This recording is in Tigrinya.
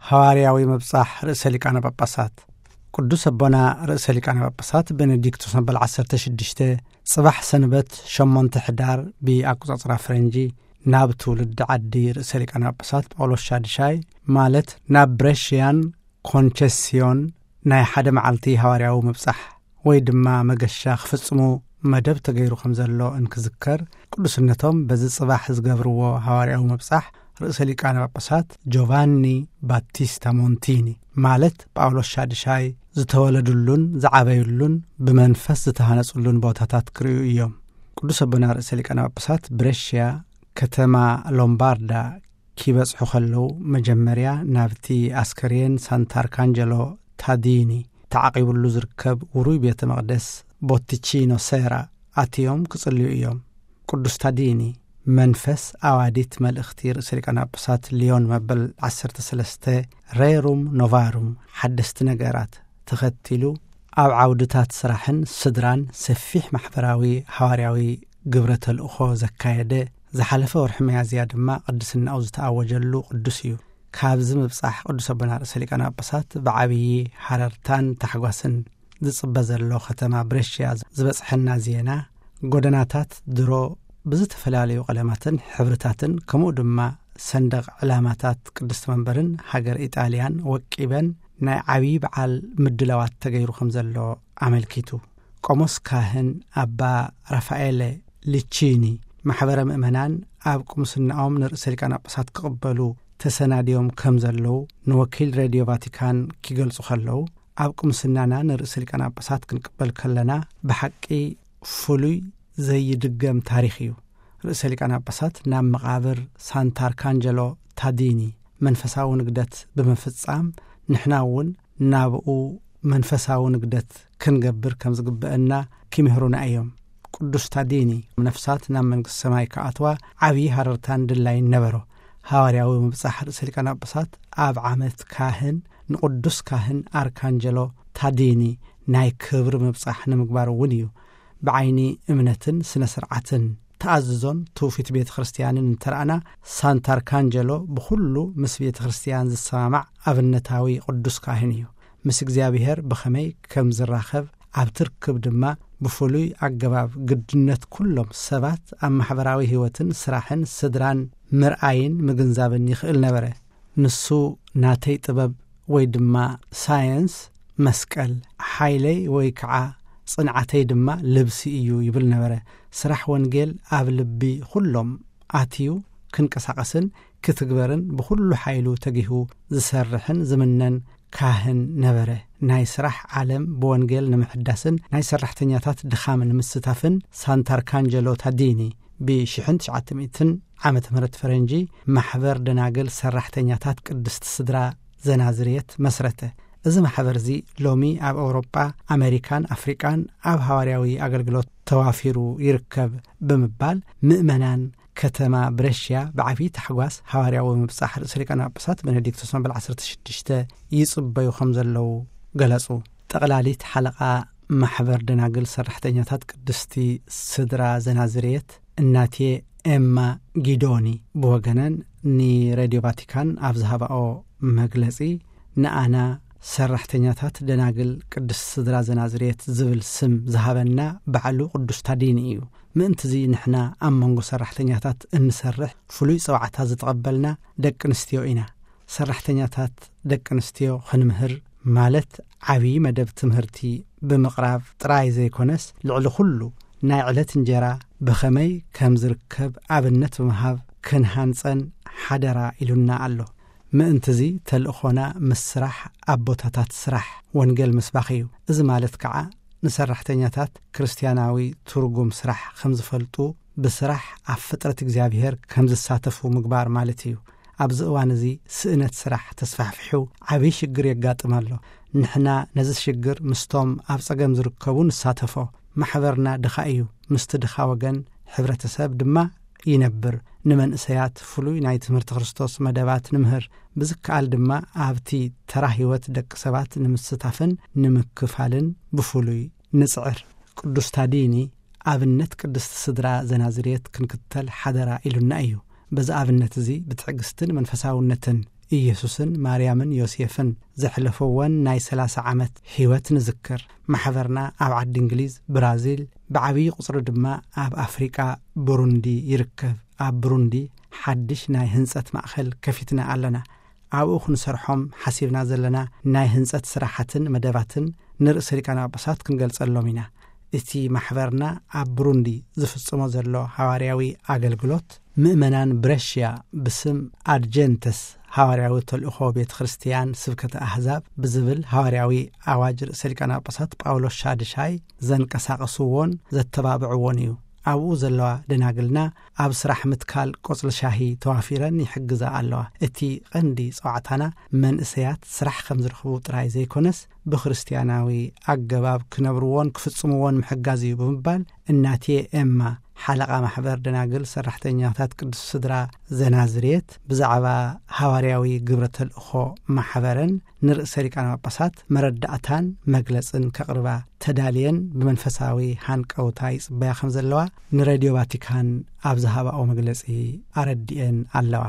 ሃዋርያዊ ምብጻሕ ርእሰ ሊቃነ ጳጳሳት። ቅዱስ ኣቦና ርእሰ ሊቃነ ጳጳሳት ቤኔዲክቶስ መበል ዓሰርተ ሽዱሽተ፣ ጽባሕ ሰንበት ሸሞንተ ሕዳር ብኣቆጻጽራ ፈረንጂ፣ ናብ ትውልዲ ዓዲ ርእሰ ሊቃነ ጳጳሳት ጳውሎስ ሻድሻይ፣ ማለት ናብ ብሬሽያን ኮንቸስዮን፣ ናይ ሓደ መዓልቲ ሃዋርያዊ ምብጻሕ ወይ ድማ መገሻ ክፍጽሙ መደብ ተገይሩ ከም ዘሎ እንክዝከር፣ ቅዱስነቶም በዚ ጽባሕ ዝገብርዎ ሃዋርያዊ ምብጻሕ ርእሰ ሊቃነ ጳጳሳት ጆቫኒ ባቲስታ ሞንቲኒ፣ ማለት ጳውሎስ ሻድሻይ፣ ዝተወለዱሉን ዝዓበዩሉን ብመንፈስ ዝተሃነጹሉን ቦታታት ክርእዩ እዮም። ቅዱስ ኣቦና ርእሰ ሊቃነ ጳጳሳት ብሬሽያ፣ ከተማ ሎምባርዳ፣ ኪበጽሑ ከለዉ፣ መጀመርያ ናብቲ ኣስከሬን ሳንታርካንጀሎ ታዲኒ ተዓቂቡሉ ዝርከብ ውሩይ ቤተ መቕደስ ቦቲቺኖ ሴራ ኣትዮም ክጽልዩ እዮም። ቅዱስ ታዲኒ፣ መንፈስ ኣዋዲት መልእኽቲ ርእሰ ሊቃነ ጳጳሳት ሊዮን መበል ዓሰርተ ሰለስተ፣ ሬሩም ኖቫሩም፣ ሓደስቲ ነገራት፣ ተኸቲሉ፣ ኣብ ዓውድታት ስራሕን ስድራን ሰፊሕ ማሕበራዊ ሃዋርያዊ ግብረ ተልእኾ ዘካየደ፣ ዝሓለፈ ወርሒ ሚያዝያ ድማ ቅድስናኡ ዝተኣወጀሉ ቅዱስ እዩ። ካብዚ ምብጻሕ ቅዱስ ኣቦና ርእሰ ሊቃነ ጳጳሳት ብዓብዪ ሃረርታን ታሕጓስን ዝጽበ ዘሎ ከተማ ብሬሽያ ዝበጽሐና ዜና፣ ጎደናታት ድሮ ብዝተፈላለዩ ቀለማትን ሕብርታትን፣ ከምኡ ድማ ሰንደቕ ዕላማታት ቅድስቲ መንበርን ሃገር ኢጣልያን ወቂበን፣ ናይ ዓብዪ በዓል ምድላዋት ተገይሩ ከም ዘሎ ኣመልኪቱ። ቆሞስ ካህን ኣባ ራፋኤለ ሊቺኒ፣ ማሕበረ ምእመናን ኣብ ቅምስናኦም ንርእሰ ሊቃነ ጳጳሳት ክቕበሉ ተሰናድዮም ከም ዘለዉ ንወኪል ሬድዮ ቫቲካን ኪገልጹ ከለዉ፣ ኣብ ቅምስናና ንርእሰ ሊቃነ ጳጳሳት ክንቅበል ከለና ብሓቂ ፍሉይ ዘይድገም ታሪኽ እዩ። ርእሰ ሊቃነ ጳጳሳት ናብ መቓብር ሳንታርካንጀሎ ታዲኒ መንፈሳዊ ንግደት ብምፍጻም፣ ንሕና እውን ናብኡ መንፈሳዊ ንግደት ክንገብር ከም ዝግበአና ኪምህሩና እዮም። ቅዱስ ታዲኒ፣ ነፍሳት ናብ መንግስቲ ሰማይ ክኣትዋ ዓብዪ ሃረርታን ድላይን ነበሮ። ሃዋርያዊ ምብጻሕ ርእሰ ሊቃነ ጳጳሳት ኣብ ዓመት ካህን ንቅዱስ ካህን ኣርካንጀሎ ታዲኒ ናይ ክብሪ ምብጻሕ ንምግባር እውን እዩ። ብዓይኒ እምነትን ስነ ስርዓትን ተኣዝዞን ትውፊት ቤተ ክርስቲያንን እንተረኣና፣ ሳንታርካንጀሎ ብኹሉ ምስ ቤተ ክርስቲያን ዝሰማማዕ ኣብነታዊ ቅዱስ ካህን እዩ። ምስ እግዚኣብሔር ብኸመይ ከም ዝራኸብ፣ ኣብቲ ርክብ ድማ ብፍሉይ ኣገባብ ግድነት ኩሎም ሰባት ኣብ ማሕበራዊ ህይወትን ስራሕን ስድራን ምርኣይን ምግንዛብን ይኽእል ነበረ። ንሱ፣ ናተይ ጥበብ ወይ ድማ ሳየንስ መስቀል፣ ሓይለይ ወይ ከዓ ጽንዓተይ ድማ ልብሲ እዩ ይብል ነበረ። ስራሕ ወንጌል ኣብ ልቢ ኩሎም ኣትዩ ክንቀሳቐስን ክትግበርን ብኹሉ ሓይሉ ተጊሁ ዝሰርሕን ዝምነን ካህን ነበረ። ናይ ስራሕ ዓለም ብወንጌል ንምሕዳስን ናይ ሰራሕተኛታት ድኻም ንምስታፍን ሳንታርካንጀሎ ታዲኒ ብ ሽሕን ትሽዓተ ሚእትን ዓመተ ምህረት ፈረንጂ ማሕበር ደናግል ሰራሕተኛታት ቅድስቲ ስድራ ዘናዝርየት መስረተ። እዚ ማሕበር እዚ ሎሚ ኣብ ኣውሮጳ፣ ኣሜሪካን ኣፍሪቃን ኣብ ሃዋርያዊ ኣገልግሎት ተዋፊሩ ይርከብ ብምባል ምእመናን ከተማ ብረሽያ ብዓብዪ ታሕጓስ ሃዋርያዊ ምብጻሕ ርእሰ ሊቃነ ጳጳሳት ቤኔዲክቶስ መበል ዓሰርተ ሽዱሽተ ይጽበዩ ከም ዘለዉ ገለጹ። ጠቕላሊት ሓለቓ ማሕበር ደናግል ሰራሕተኛታት ቅድስቲ ስድራ ዘናዝርየት እናቴ ኤማ ጊዶኒ ብወገነን ንሬድዮ ቫቲካን ኣብ ዝሃባኦ መግለጺ፣ ንኣና ሰራሕተኛታት ደናግል ቅድስቲ ስድራ ዘናዝርየት ዝብል ስም ዝሃበና ባዕሉ ቅዱስ ታዲኒ እዩ። ምእንትዚ ንሕና ኣብ መንጎ ሰራሕተኛታት እንሰርሕ ፍሉይ ጸዋዕታ ዝተቐበልና ደቂ ኣንስትዮ ኢና። ሰራሕተኛታት ደቂ ኣንስትዮ ክንምህር ማለት ዓብዪ መደብ ትምህርቲ ብምቕራብ ጥራይ ዘይኮነስ፣ ልዕሊ ኩሉ ናይ ዕለት እንጀራ ብኸመይ ከም ዝርከብ ኣብነት ብምሃብ ክንሃንጸን ሓደራ ኢሉና ኣሎ። ምእንትዚ ተልእኾና ምስ ስራሕ ኣቦታታት ስራሕ ወንጌል ምስባኽ እዩ። እዚ ማለት ከዓ ንሰራሕተኛታት ክርስትያናዊ ትርጉም ስራሕ ከም ዝፈልጡ፣ ብስራሕ ኣብ ፍጥረት እግዚኣብሔር ከም ዝሳተፉ ምግባር ማለት እዩ። ኣብዚ እዋን እዚ ስእነት ስራሕ ተስፋሕፊሑ ዓብዪ ሽግር የጋጥም ኣሎ። ንሕና ነዚ ሽግር ምስቶም ኣብ ጸገም ዝርከቡ ንሳተፎ። ማሕበርና ድኻ እዩ። ምስቲ ድኻ ወገን ሕብረተሰብ ድማ ይነብር። ንመንእሰያት ፍሉይ ናይ ትምህርቲ ክርስቶስ መደባት ንምህር። ብዝከኣል ድማ ኣብቲ ተራ ህይወት ደቂ ሰባት ንምስታፍን ንምክፋልን ብፍሉይ ንጽዕር። ቅዱስ ታዲኒ ኣብነት ቅድስቲ ስድራ ዘናዝርየት ክንክተል ሓደራ ኢሉና እዩ። በዚ ኣብነት እዚ ብትዕግስትን መንፈሳውነትን ኢየሱስን ማርያምን ዮሴፍን ዘሕለፈወን ናይ ሰላሳ ዓመት ህይወት ንዝክር። ማሕበርና ኣብ ዓዲ እንግሊዝ፣ ብራዚል፣ ብዓብዪ ቁጽሪ ድማ ኣብ ኣፍሪቃ ብሩንዲ ይርከብ። ኣብ ብሩንዲ ሓድሽ ናይ ህንጸት ማእኸል ከፊትና ኣለና። ኣብኡ ክንሰርሖም ሓሲብና ዘለና ናይ ህንጸት ስራሓትን መደባትን ንርእሰ ሊቃነ ጳጳሳት ክንገልጸሎም ኢና። እቲ ማሕበርና ኣብ ብሩንዲ ዝፍጽሞ ዘሎ ሃዋርያዊ ኣገልግሎት፣ ምእመናን ብረሽያ ብስም ኣድጀንተስ ሃዋርያዊ ተልእኾ ቤተ ክርስቲያን ስብከተ ኣህዛብ ብዝብል ሃዋርያዊ ኣዋጅ ርእሰ ሊቃነ ጳጳሳት ጳውሎስ ሻድሻይ ዘንቀሳቐስዎን ዘተባብዕዎን እዩ። ኣብኡ ዘለዋ ደናግልና ኣብ ስራሕ ምትካል ቆጽሊ ሻሂ ተዋፊረን ይሕግዛ ኣለዋ። እቲ ቀንዲ ጸዋዕታና መንእሰያት ስራሕ ከም ዝረኽቡ ጥራይ ዘይኮነስ፣ ብክርስትያናዊ ኣገባብ ክነብርዎን ክፍጽምዎን ምሕጋዝ እዩ ብምባል፣ እናቴ ኤማ፣ ሓለቓ ማሕበር ደናግል ሰራሕተኛታት ቅዱስ ስድራ ዘናዝሬት፣ ብዛዕባ ሃዋርያዊ ግብረ ተልእኾ ማሕበረን ንርእሰ ሊቃነ ጳጳሳት መረዳእታን መግለጽን ከቕርባ ተዳልየን ብመንፈሳዊ ሃንቀውታ ይጽበያ ከም ዘለዋ ንሬድዮ ቫቲካን ኣብ ዝሃባኦ መግለጺ ኣረዲኤን ኣለዋ።